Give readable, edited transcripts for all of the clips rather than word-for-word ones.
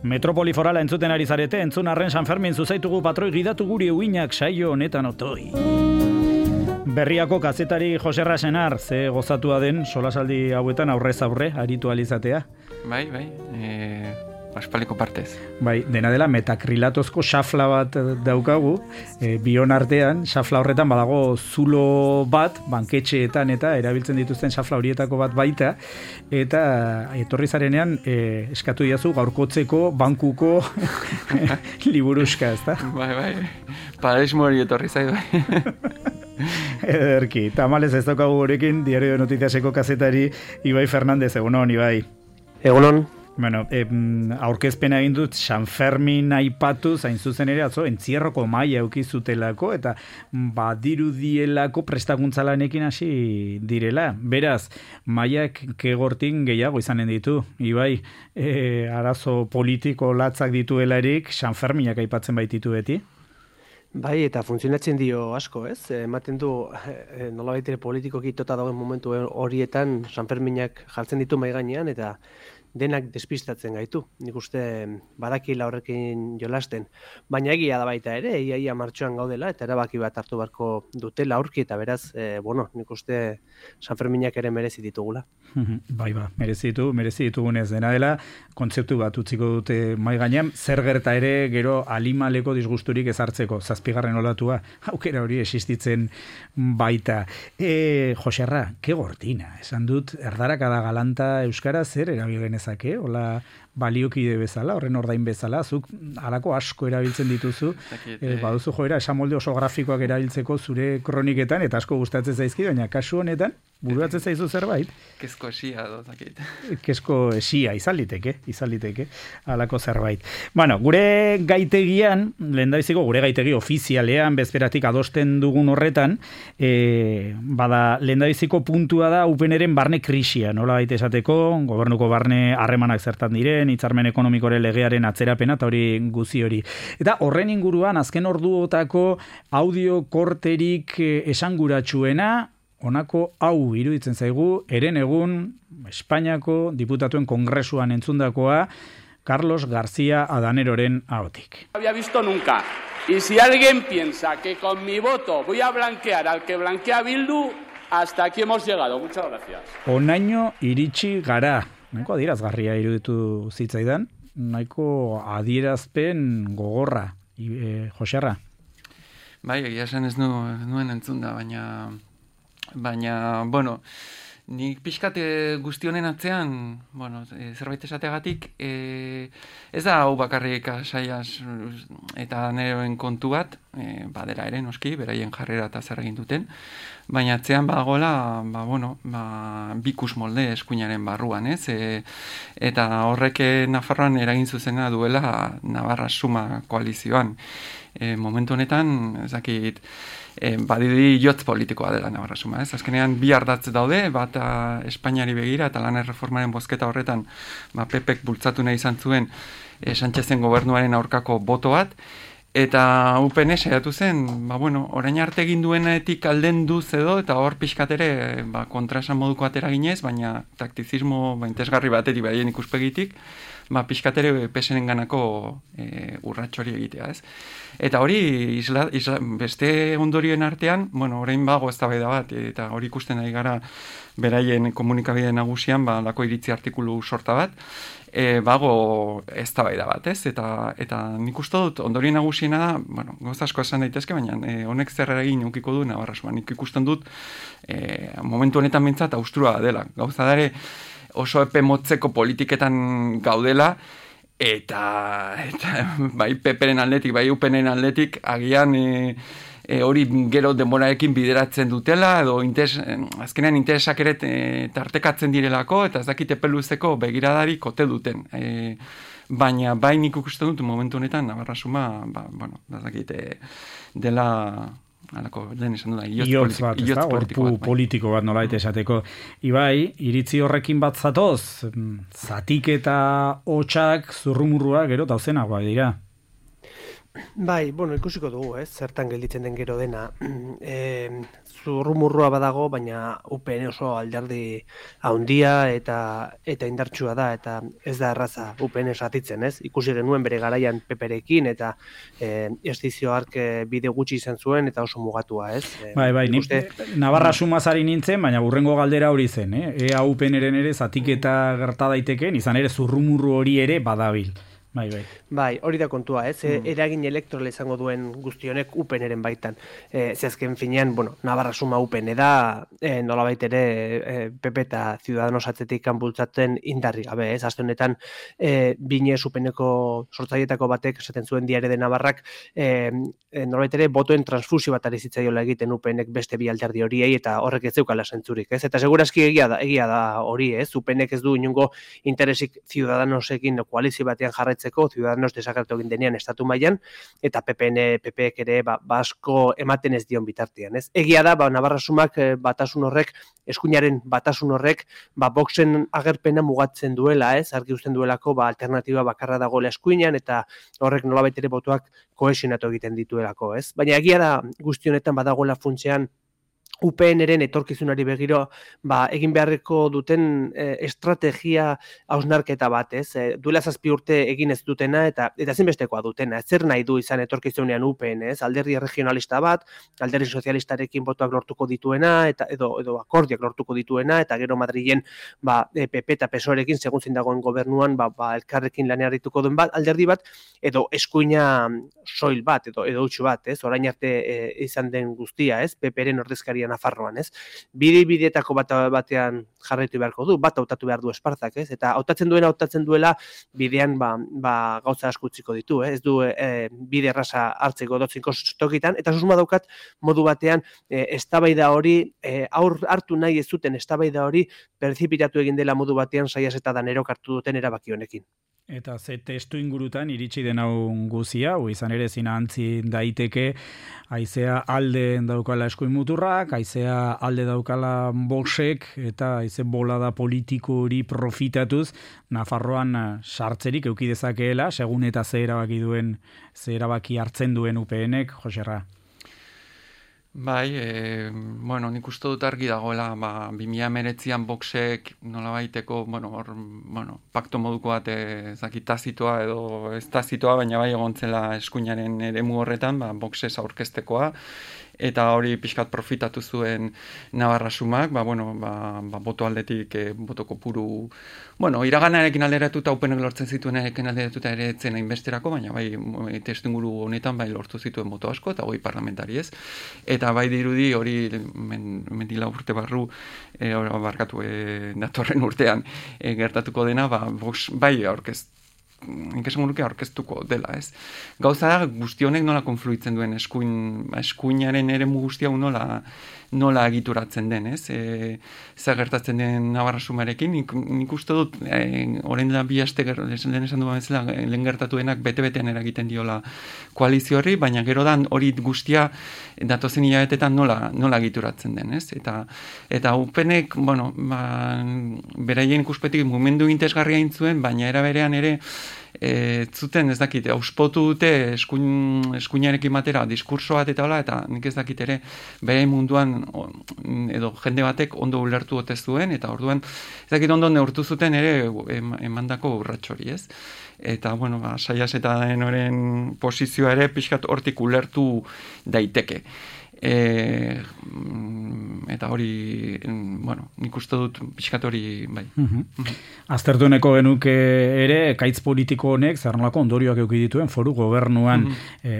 Metropoli forala entzuten ari zarete, entzun arren San Fermin zuzaitugu patroi gidatu guri uinak saio honetan otoi. Berriako kazetari Joserra Senar, ze gozatua den solasaldi hauetan aurrez aurre, aritu alizatea. Bai, aspaldiko partez. Bai, dena dela metakrilatozko xafla bat daukagu, bion artean, xafla horretan badago zulo bat, banketxeetan eta erabiltzen dituzten xafla horietako bat baita, eta etorri zarenean eskatu diazu gaurkotzeko bankuko liburuska, ezta? Bai, paraismo hori etorri zaidu. Ederki, tamalez ez daukagu gurekin, Diario de Noticiaseko kazetari Ibai Fernandez, egunon, Ibai. Egunon. Bueno, aurkezpena egin dut San Fermin aipatu, zain zuzen ere, atzo, entzierroko maila eukizutelako, eta badirudielako prestakuntzalanekin hasi direla. Beraz, mailak kegortin gehiago izanen ditu, Ibai, arazo politiko latzak dituelarik, San Ferminak aipatzen baititu beti? Bai, eta funtzionatzen dio asko, ez? Ematen du, nolabait ere politikoki tota dagoen momentu horietan San Ferminak jartzen ditu mahai gainean, eta denak despistatzen gaitu. Nik uste badakila horrekin jolasten. Baina egia da baita ere, ia martxoan gaudela, eta erabaki bat hartu beharko dutela aurki, eta beraz, nik uste San Ferminak ere merezi ditugula. Bai, merezi ditugunez dena dela, kontzeptu bat utziko dute mai gainean, zer gerta ere gero alimaleko disgusturik ezartzeko, 7. olatua, aukera hori existitzen baita. Joserra, ke gortina, esan dut, erdarakada galanta euskara zer erabil genezake, hola baliokide bezala, horren ordain bezala, zuk halako asko erabiltzen dituzu, baduzu joera, esamolde oso grafikoak erabiltzeko zure kroniketan, eta asko gustatzen zaizki, baina kasu honetan, buruatzen zaizu zerbait? Kezko esia dozakit. Kezko esia, izan liteke, halako zerbait. Bueno, gure gaitegian, lehendabiziko gure gaitegi ofizialean, bezperatik adosten dugun horretan, bada lehendabiziko puntua da UPNren barne krisia, nola baita esateko, gobernuko barne harremanak zertan diren, hitzarmen ekonomikoren legearen atzerapena eta hori guzi hori. Eta horren inguruan azken orduotako audio korterik esanguratsuena, honako hau iruditzen zaigu, eren egun Espainiako diputatuen kongresuan entzundakoa Carlos García Adaneroren ahotik. No había visto nunca. Y si alguien piensa que con mi voto voy a blanquear al que blanquea Bildu, hasta aquí hemos llegado. Muchas gracias. Honaino iritsi gara. Nahiko adierazgarria iruditu zitzaidan, nahiko adierazpen gogorra, Joserra. Bai, egia esan ez nuen entzunda, baina, bueno, nik pixkat guzti honen atzean, bueno, zerbait esateagatik, ez da hau bakarrik saiaz eta neroen kontu bat, badera ere noski, beraien jarrera eta zer egin duten, baina atzean badagoela, bikus molde eskuinaren barruan, ez? Eta horrek Nafarroan eragin zuzena duela Navarra Suma koalizioan. Momentu honetan, ezakit, badidi jotz politikoa dela Navarra Suma, ez? Azkenean bi ardatz daude, bat Espainiari begira eta lan erreformaren bozketa horretan PPek bultzatu nahi izan zuen Sánchezen gobernuaren aurkako boto bat, eta UPN saiatu zen, orain arte egin duenetik aldenduz edo, eta hor pixkat ere kontraesan moduko atera ginez, baina taktizismo interesgarri batetik baien ikuspegitik, pixkat ere pesenen ganako urratxori egitea, ez? Eta hori, beste ondorioen artean, orain bago eztabaida bat, eta hori ikusten ari gara beraien komunikabide nagusian, lako iritzi artikulu sorta bat, bago eztabaida bat, ez? Eta nik uste dut, ondorien nagusiena da, gauza asko esan daitezke, baina honek zer egin ukiko du Navarra Suma. Nik ikusten dut, momentu honetan bintzat, austurua dela. Gauza dare, oso epe motzeko politiketan gaudela, eta bai PPren aldetik, bai UPNen aldetik, agian hori gero denborarekin bideratzen dutela, edo azkenean interesak ere tartekatzen direlako, eta ez dakite peluzeko begiradari kote duten. Baina bai nik ikusten dut momentu honetan Navarra Suma, ez dakite dela halako, lehen esan duda, gorpu politiko bat nolait esateko. Ibai, iritzi horrekin bat zatoz, zatik eta hotxak zurrumurrua gero tauzenagoa dira. Bai, ikusiko dugu, zertan gelditzen den gero dena. Zurrumurrua badago, baina UPN oso alderdi handia eta indartsua da, eta ez da erraza UPN esatitzen, Ikusi genuen bere garaian peperekin, eta estizio hark bide gutxi izan zuen, eta oso mugatua, Bai, Navarra sumazari nintzen, baina burrengo galdera hori zen, Ea UPN-eren ere zatiketa gerta daitekeen, izan ere zurrumurru hori ere badabil. Bai, hori da kontua, eragin elektorala izango duen guztionek UPN-eren baitan. Zehazken finean, Navarra suma UPN da, nolabait ere PP eta Ciudadanos atzetik bultzatzen indarri gabe, Aste honetan, Binez UPN-eko sortzailetako batek esaten zuen Diario de Navarrak, nolabait ere botoen transfusio bat ari zitzaiola egiten UPN-ek beste bi alderdi horiei, eta horrek ez zeukala zentzurik, Eta segurazki egia da hori, UPN-ek ez du inongo interesik Ciudadanosekin koalizio batean jarraitzen Ciudadanos desagertu egin denean estatu mailan, eta PPek ere asko ematen ez dion bitartean. Egia da, Navarra sumak batasun horrek, eskuinaren batasun horrek, Voxen agerpena mugatzen duela, argi uzten duelako, alternatiba bakarra dagoela eskuinan, eta horrek nolabait ere botoak kohesionatu egiten dituelako. Baina egia da guzti honetan badagoela funtsean UPN-eren etorkizunari begiro egin beharreko duten estrategia hausnarketa bat, Duela 7 urte egin ez dutena eta zinbestekoa dutena. Zer nahi du izan etorkizunean UPN, Alderdi regionalista bat, alderdi sozialistarekin botoak lortuko dituena, edo akordiak lortuko dituena, eta gero Madrilen PP eta PSOErekin segun zein dagoen gobernuan elkarrekin lanean arituko duen alderdi bat, edo eskuina soil bat, edo utxu bat, orain arte izan den guztia, PP-ren ordezkaria Nafarroan, Bide-bideetako batean jarraitu beharko du, bat hautatu behar du Esparzak, Eta hautatzen duela bidean gauza asko utziko ditu, Ez du bide erraza hartzeko dotzinko tokitan, eta susma daukat modu batean eztabaida hori, hartu nahi ez zuten eztabaida hori perzipitatu egin dela modu batean Saias eta Danerok hartu duten erabaki honekin. Eta ze testu ingurutan iritsi den hau guzia, izan ere zinantzi daiteke, haizea alde daukala eskuin muturrak, haizea alde daukala Voxek, eta haize bolada politiko hori profitatuz, Nafarroan sartzerik eduki dezakeela, segun eta ze erabaki hartzen duen UPN-ek, Joserra. Bai, nik uste dut argi dagoela, 2019an Voxek nolabaiteko, pakto moduko bat tazitoa edo ez tazitoa, baina bai egontzela eskuinaren eremu horretan, Voxez aurkeztekoa, eta hori pixkat profitatu zuen Navarra sumak, boto aldetik, boto kopuru, iraganarekin alderatuta, UPN lortzen zituenekin alderatuta ere etzen hainbesterako, baina bai testu inguru honetan bai lortu zituen boto asko, eta hoi parlamentari ez. Eta bai dirudi hori mendila urte barru, barkatu datorren urtean gertatuko dena, Vox bai aurkeztuko dela, ez? Gauza da, guzti honek nola konfluitzen duen eskuinaren eremu guzti hau nola egituratzen den, ez? Zer gertatzen den Navarra sumarekin, nik uste dut, orain da 2 aste lehen esan duan bezala, lehen gertatuenak bete-betean eragiten diola koalizio horri, baina gero da hori guztia datozen hilabetetan nola egituratzen den, ez? Eta UPNek, beraien ikuspetik mugimendu interesgarria intzuen, baina era berean ere zuten ez dakit, auspotu dute eskuinarekin batera diskurso bat eta hola, eta nik ez dakit ere bere munduan edo jende batek ondo ulertu ote zuen, eta orduan ez dakit ondo neurtu zuten ere emandako urratxori, ez? Eta, Saias eta Danoren posizioa ere pixkat hortik ulertu daiteke. Eta hori, nik uste dut pixkat hori, bai. Aztertueneko genuke ere, kaitz politiko honek, zer nolako ondorioak eduki dituen, foru gobernuan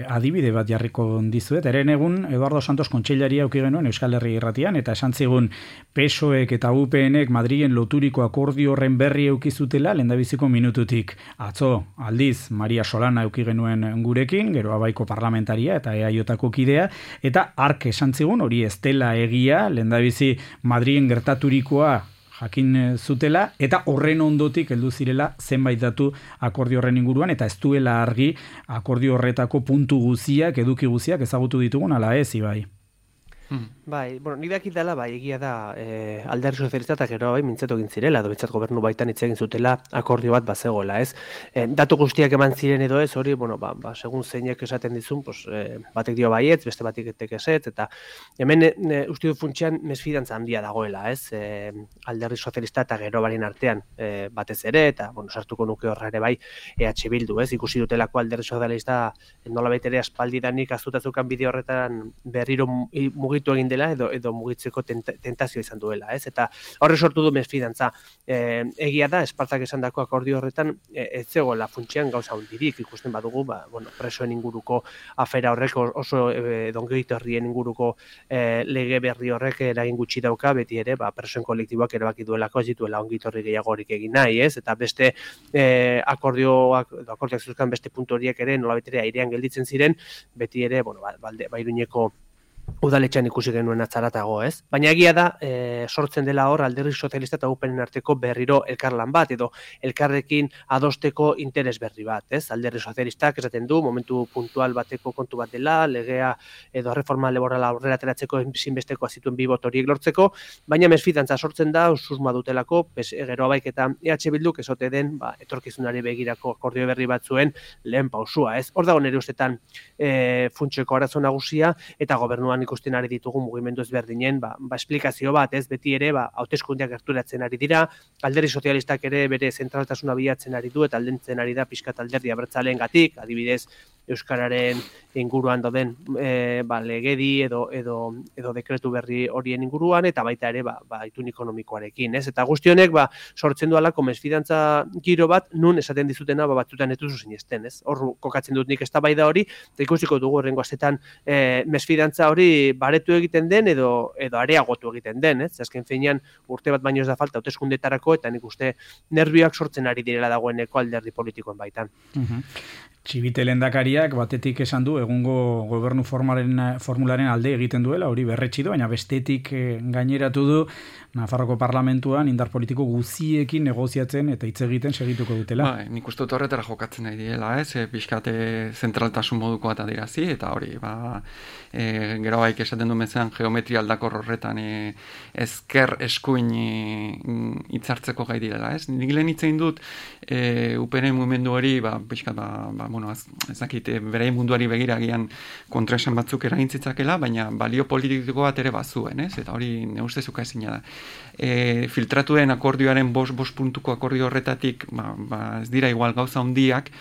adibide bat jarriko dizuet. Eren egun, Eduardo Santos kontseilaria eduki genuen Euskal Herri Irratian, eta esan zigun PSOEk eta UPNek Madrilen loturiko akordio horren berri eduki zutela, lehendabiziko minututik. Atzo, aldiz, Maria Solana eduki genuen gurekin, gero abaiko parlamentaria eta EAJko kidea, eta esan zigun, hori ez dela egia, lehendabizi Madrilen gertaturikoa jakin zutela, eta horren ondotik heldu zirela zenbait datu akordio horren inguruan, eta ez duela argi akordio horretako puntu guziak, eduki guziak ezagutu ditugun, ala ez, Ibai. Bai, bueno, ni dakit dela, bai, egia da, Alderdi Sozialista eta gero bai mintzatu egin zirela, edo mintzat gobernu baitan hitz egin zutela akordio bat bazegoela, ez? Datu guztiak eman ziren edo ez, hori, bueno, segun zeinek esaten dizun, pues, batek dio baietz, beste batek ezetz, eta hemen uste dut funtsean mesfidantza handia dagoela, ez? Alderdi Sozialista eta gero barien artean batez ere, eta, bueno, sartuko nuke horra ere bai, EH Bildu, ez? Ikusi dutelako Alderdi Sozialista nolabait ere aspaldidanik azutazukan bideo horretan berriro mugitu egin dela edo mugitzeko tentazio izan duela, ez? Eta horre sortu du mesfidantza. Egia da, Espartak esandako akordio horretan ez zegoela funtsean gauza hundirik, ikusten badugu, bueno, presoen inguruko afera horrek oso ongehitorrien inguruko lege berri horrek eragin gutxi dauka, beti ere, presoen kolektiboak erabaki duelako ez dituela ongehitorri gehiagorik egin nahi, ez? Eta beste akordioak zuzkan beste puntu horiek ere nolabait ere airean gelditzen ziren, beti ere, bueno, Iruñeko udaletxean ikusi genuen atzaratago, ez? Baina egia da, sortzen dela hor Alderdi Sozialista eta UPNen arteko berriro elkarlan bat, edo elkarrekin adosteko interes berri bat, ez? Alderdi Sozialistak esaten du, momentu puntual bateko kontu bat dela, legea edo reforma laborala aurrera ateratzeko ezinbesteko zituen bi bot horiek lortzeko, baina mesfidantza sortzen da, susma dutelako, gero baik eta EH Bilduk ezote den, etorkizunari begirako akordio berri batzuen lehen pausua, ez? Hor dago nire ustetan funtseko arazo nagusia, eta gobernuan ikusten ari ditugu mugimendu ezberdinen, esplikazio bat, ez beti ere, hauteskundeak gerturatzen ari dira, Alderdi Sozialistak ere bere zentraltasuna bilatzen ari du, eta aldentzen ari da pixkat Alderdi Abertzaleen-gatik, adibidez, Euskararen inguruan dauden legedi edo dekretu berri horien inguruan, eta baita ere itun ekonomikoarekin, ez? Eta guzti honek sortzen du alako mesfidantza giro bat, nun esaten dizutena batzutan ez duzu sinesten, ez? Hor kokatzen dut nik eztabaida hori, eta ikusiko dugu horrengo astetan mesfidantza hori baretu egiten den edo areagotu egiten den, ez? Azken finean urte bat baino ez da falta hauteskundetarako, eta nik uste nerbioak sortzen ari direla dagoeneko alderdi politikoen baitan. Txibite lehendakariak batetik esan du egungo gobernu formularen alde egiten duela, hori berretsi du, baina bestetik gaineratu du Nafarroko parlamentuan indar politiko guziekin negoziatzen eta hitz egiten segituko dutela. Nik uste dut horretara jokatzen nahi diela, ez? Pixkate zentraltasun moduko bat adirazi, eta hori, gero baik esaten du mezean geometria aldakor horretan ezker eskuin hitzartzeko gai direla, ez? Nik lehen hitzein dut UPN mugimendu hori, pixkat, ez dakit, bere munduari begiragian kontraesan batzuk eraintzitzakela, baina balio politiko bat ere bazuen, ez? Eta hori ne ustezuka ezina da. Filtratu den akordioaren 5 puntuko akordio horretatik ez dira igual gauza handiak,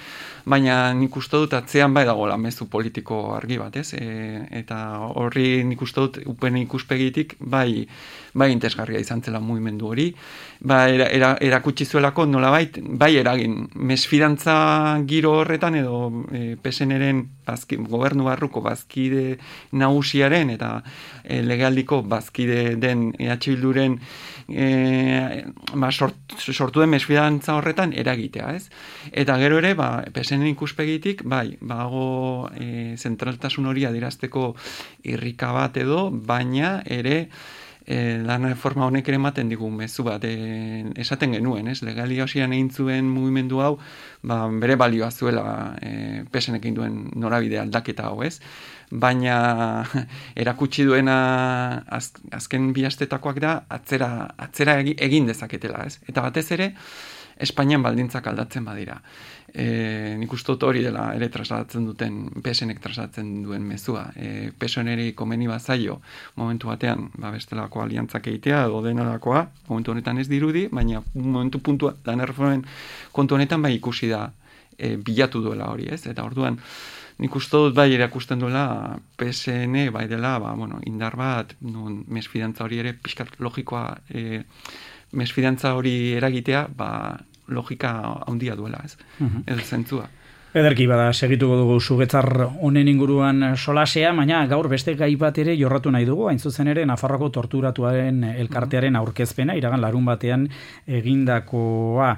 baina nik uste dut atzean bai dagoela mezu politiko argi bat, ez? Eta horri nik uste dut UPN ikuspegitik bai interesgarria izan zela mugimendu hori, erakutsi zuelako nolabait bai eragin mesfidantza giro horretan edo PSN-eren gobernu barruko bazkide nagusiaren eta legealdiko bazkide den EH Bilduren sortu den mesfidantza horretan eragitea, ez? Eta gero ere, PSN ikuspegitik, bago zentraltasun hori adierazteko irrika bat edo, baina ere lan reforma honek ere ematen digu mezu bat esaten genuen, ez? Legalia hosian egin zuen mugimendu hau, bere balioa zuela PSN-ekin duen norabide aldaketa hau, ez? Baina erakutsi duena azken bi astetakoak da atzera egin dezaketela, ez? Eta batez ere Espainian baldintzak aldatzen badira. Nik uste dut hori dela ere trasladatzen duten, PSN-ek trasladatzen duen mezua. PSN-eri komeni bazaio momentu batean, bestelako aliantzak egitea edo denolakoa, momentu honetan ez dirudi, baina momentu puntua lan erreformen kontu honetan ikusi da bilatu duela hori, ez? Eta orduan nik uste dut erakusten duela PSN dela, indar bat, mesfidantza hori ere pixkat logikoa, mesfidantza hori eragitea, logika handia duela, ez? Ez zentzua. Ederki bada, segituko dugu sugetzar honen inguruan solasea, baina gaur beste gai bat ere jorratu nahi dugu, hain zuzen ere Nafarroko torturatuaren elkartearen aurkezpena, iragan larun batean egindakoa.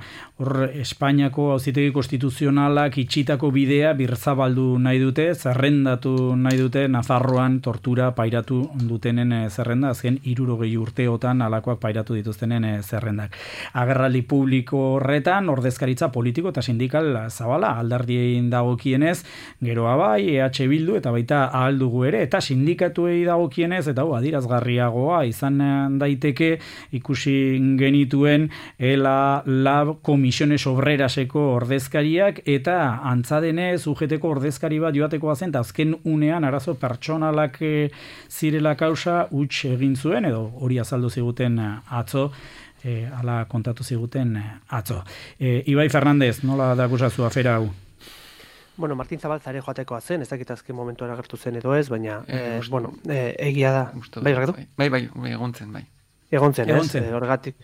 Hor, Espainiako Auzitegi Konstituzionalak itxitako bidea birzabaldu nahi dute, zerrendatu nahi dute Nafarroan tortura pairatu dutenen zerrenda, azken 60 urteotan alakoak pairatu dituztenen zerrendak. Agerraldi publiko horretan, ordezkaritza politiko eta sindikal zabala, alderdi dagokienez, geroa bai, EH Bildu eta baita ahal dugu ere, eta sindikatuei dagokienez, eta adierazgarriagoa izan daiteke ikusi genituen ELA, LAB, Komisiones Obreraseko ordezkariak, eta antza denez UGTko ordezkari bat joatekoa zen, eta azken unean arazo pertsonalak zirela kausa huts egin zuen, edo hori azaldu ziguten atzo, ala kontatu ziguten atzo. Ibai Fernandez, nola da gusazu afera hau? Bueno, Martin Zabalza ere joatekoa zen, ez dakit azken momentuan agertu zen edo ez, baina, egia da. Bai, Ricardo? Bai, egon zen, bai. Egon zen, horregatik.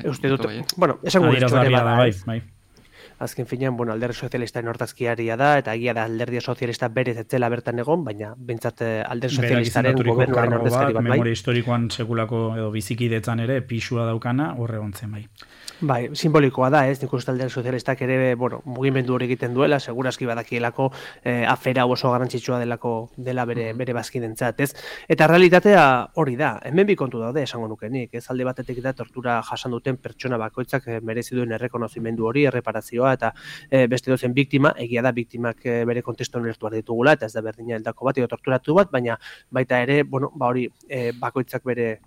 Uste dut, bueno, esango bai. Azken finean, Alderdi Sozialistaren hortazkiaria da, eta egia da Alderdi Sozialista berez etzela bertan egon, baina bentsat Alderdi Sozialistaren gobernuaren ordezkari bat, bai. Memoria historikoan sekulako edo bizikidetzan ere pisua daukana, horre gontzen, bai. Bai, simbolikoa da, ez? Nik uste Alderdi Sozialistak ere, mugimendu hori egiten duela, segurazki badakielako afera oso garrantzitsua dela bere bazkidentzat, ez? Eta realitatea hori da, hemen bi kontu daude esango nukenik, ez? Alde batetik da tortura jasan duten pertsona bakoitzak merezi duen errekonozimendu hori, erreparazioa, eta beste dozen biktima, egia da biktimak bere kontestuan ulertu behar ditugula, eta ez da berdina heldako bat, edo torturatu bat, baina baita ere, hori bakoitzak bere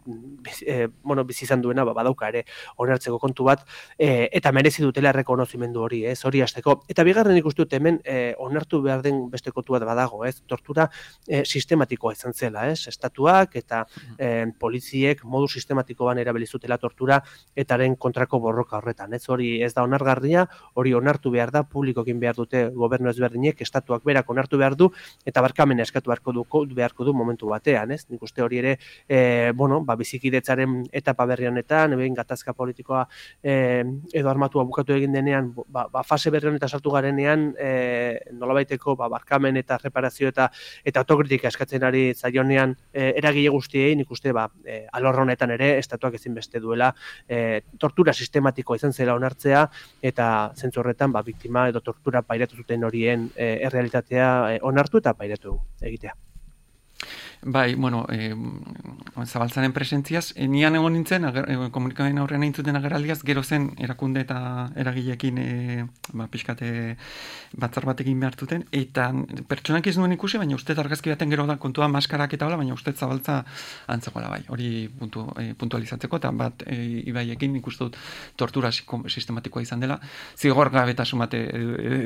bizi izan duena, badauka ere onartzeko kontu bat, eta merezi dutela errekonozimendu hori, ez, hori hasteko. Eta bigarren ikusten dut hemen onartu behar den beste kontu bat badago, ez, tortura sistematikoa izan zela, ez, estatuak eta poliziek modu sistematikoan erabili zutela tortura etaren kontrako borroka horretan, ez, hori ez da onargarria, hori onartu behar da, publikokin behar dute gobernu ezberdinek, estatuak berak onartu behar du, eta barkamena eskatu beharko du momentu batean, ez, nik uste hori ere, bizikidetzaren etapa berri honetan, gatazka politikoa edo armatua bukatu egin denean, fase berri honetan sartu garenean, nolabaiteko barkamen eta reparazio eta autokritika eskatzen ari zaionean eragile guztiei, nik uste alor honetan ere estatuak ezinbeste duela tortura sistematikoa izan zela onartzea, eta zentzu horretan biktima edo tortura pairatu zuten horien errealitatea onartu eta pairatu egitea. Bai, Zabaltzaren presentziaz, nian egon nintzen, komunikabeen aurrean eintzuten agerraldiaz, gero zen erakunde eta eragileekin pixkate batzar batekin behartuten, eta pertsonak ez nuen ikusi, baina uste argazki baten gero da kontua maskarak eta hola, baina uste Zabaltza antzegoela bai, hori puntualizatzeko, eta bat Ibaiekin ikustu dut tortura sistematikoa izan dela, zigor gabetasun bate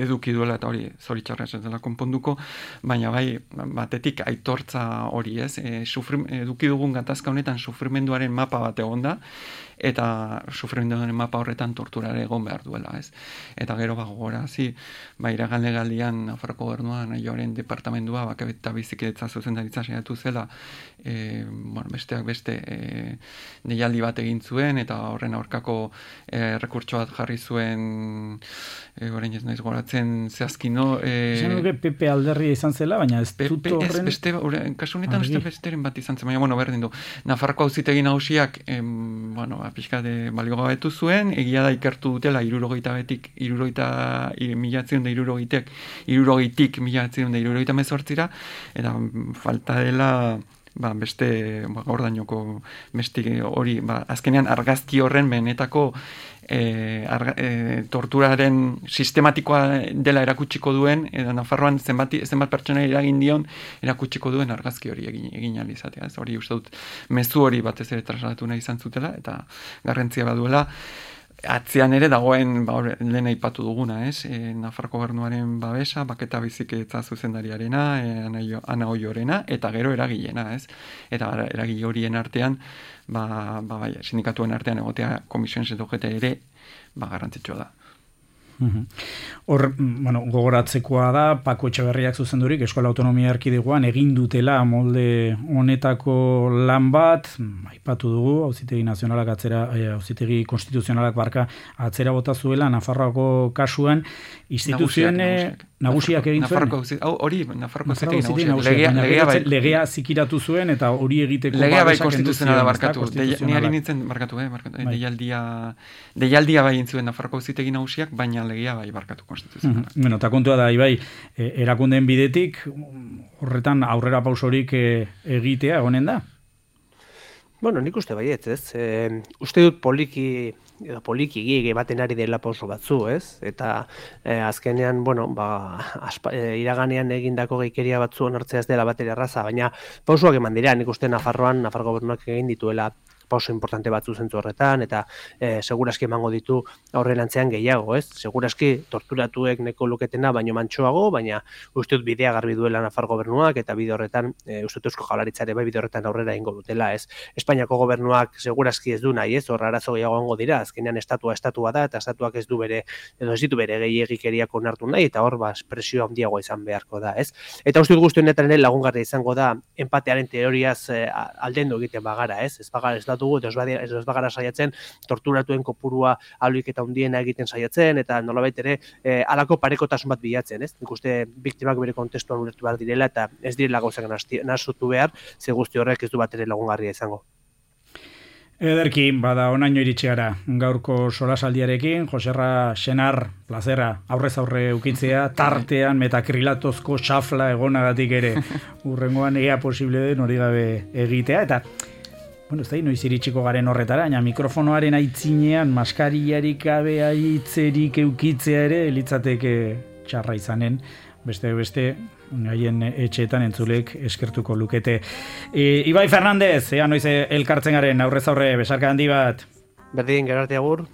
eduki duela, eta hori zoritxarra ez dela konponduko, baina bai, batetik aitortza hori ez, eduki dugun gatazka honetan sufrimenduaren mapa bat egon da, eta sufrimenduaren mapa horretan torturare egon behar duela, ez. Eta gero gogorazi, iragan legaldian Nafarroko Gobernuan Naioaren departamendua bakabeta bizikidetza zuzendaritza saiatu zela, besteak beste deialdi bat egin zuen, eta horren aurkako rekurtso bat jarri zuen, orain ez naiz goratzen zehazkino. Esan duke PP alderria izan zela, baina ez dut horren... Kasu honetan besteren bat izan zen, baina berdin du. Nafarroko auzitegi nagusiak, pixka de baliogabetu zuen, egia da ikertu dutela 70-tik 1970-tik eta falta dela beste gaurdainoko hori, azkenean argazki horren benetako torturaren sistematikoa dela erakutsiko duen, edo Nafarroan zenbat pertsona eragin dion erakutsiko duen argazki hori egin ahal izatea. Hori uste dut mezu hori batez ere trasladatu nahi izan zutela, eta garrantzia baduela. Atzean ere dagoen lehen aipatu duguna, Nafarroko Gobernuaren babesa, baketa bizikidetza zuzendariarena, Ana Oiorena, eta gero eragilena, Eta eragile horien artean, sindikatuen artean egotea Komisiones edo UGT ere, garrantzitsua da. Hor, gogoratzekoa da, Paco Etxeberriak zuzendurik Eskola Autonomia Erkidegoan egin dutela molde honetako lan bat, aipatu dugu, Auzitegi Nazionalak Auzitegi Konstituzionalak atzera bota zuela Nafarroako kasuan, instituzioen nagusiak egin zuen. Hori, Nafarroko Auzitegi nagusiak. Legea zikiratu zuen, eta hori egiteko... Legea bai konstituzionala barkatu. Niari nintzen barkatu, deialdia bai intzuen Nafarroko Auzitegi nagusiak, baina legia bai barkatu konstituzionala. Eta kontua da, Ibai, erakundeen bidetik, horretan aurrera pausorik egitea egonen da? Bueno, nik uste baietz, ez? Uste dut poliki baten ari dela pauso batzu, ez? Eta azkenean, bueno, iraganean egindako geikeria batzu onartzea ez dela batera erraza, baina pausoak eman dira, nik uste Nafar gobernuak egin dituela pauso importante batzu zentzu horretan, eta seguraski emango ditu aurrerantzean gehiago, ez? Seguraski torturatuek neko luketena baino mantsoago, baina uste dut bidea garbi duela Nafar gobernuak, eta bide horretan, uste dut Eusko Jaurlaritzare bai bide horretan aurrera ingo dutela, ez? Espainiako gobernuak seguraski ez du nahi, ez? Hor arazo gehiago egongo dira, azkenean estatua da, eta estatuak ez ditu bere gehiegikeriak onartu nahi, eta hor presio handiagoa izan beharko da, ez? Eta uste dut guzti honetan ere lagungarria izango da empatearen teoriaz aldendu egiten bagara, ez? Ez bagara saiatzen torturatuen kopurua ahalik eta handiena egiten saiatzen, eta nolabait ere halako parekotasun bat bilatzen, ez? Nik uste biktimak bere kontestuan ulertu behar direla, eta ez direla gauzak nahasutu behar, ze guzti horrek ez du bat ere lagungarria izango. Ederki, bada onaino iritsi gara gaurko solasaldiarekin, Joserra Senar, plazera, aurrez aurre ukitzea, tartean metakrilatozko xafla egonagatik ere, urrengoan ea posible den hori gabe egitea, eta bueno, ez da, noiz iritsiko garen horretara, baina mikrofonoaren aitzinean maskariarik gabe aitzerik eukitzea ere, litzateke txarra izanen, beste, haien etxeetan entzulek eskertuko lukete. Ibai Fernandez, noiz elkartzen garen aurrez aurre, besarka handi bat. Berdin, gerarte agur.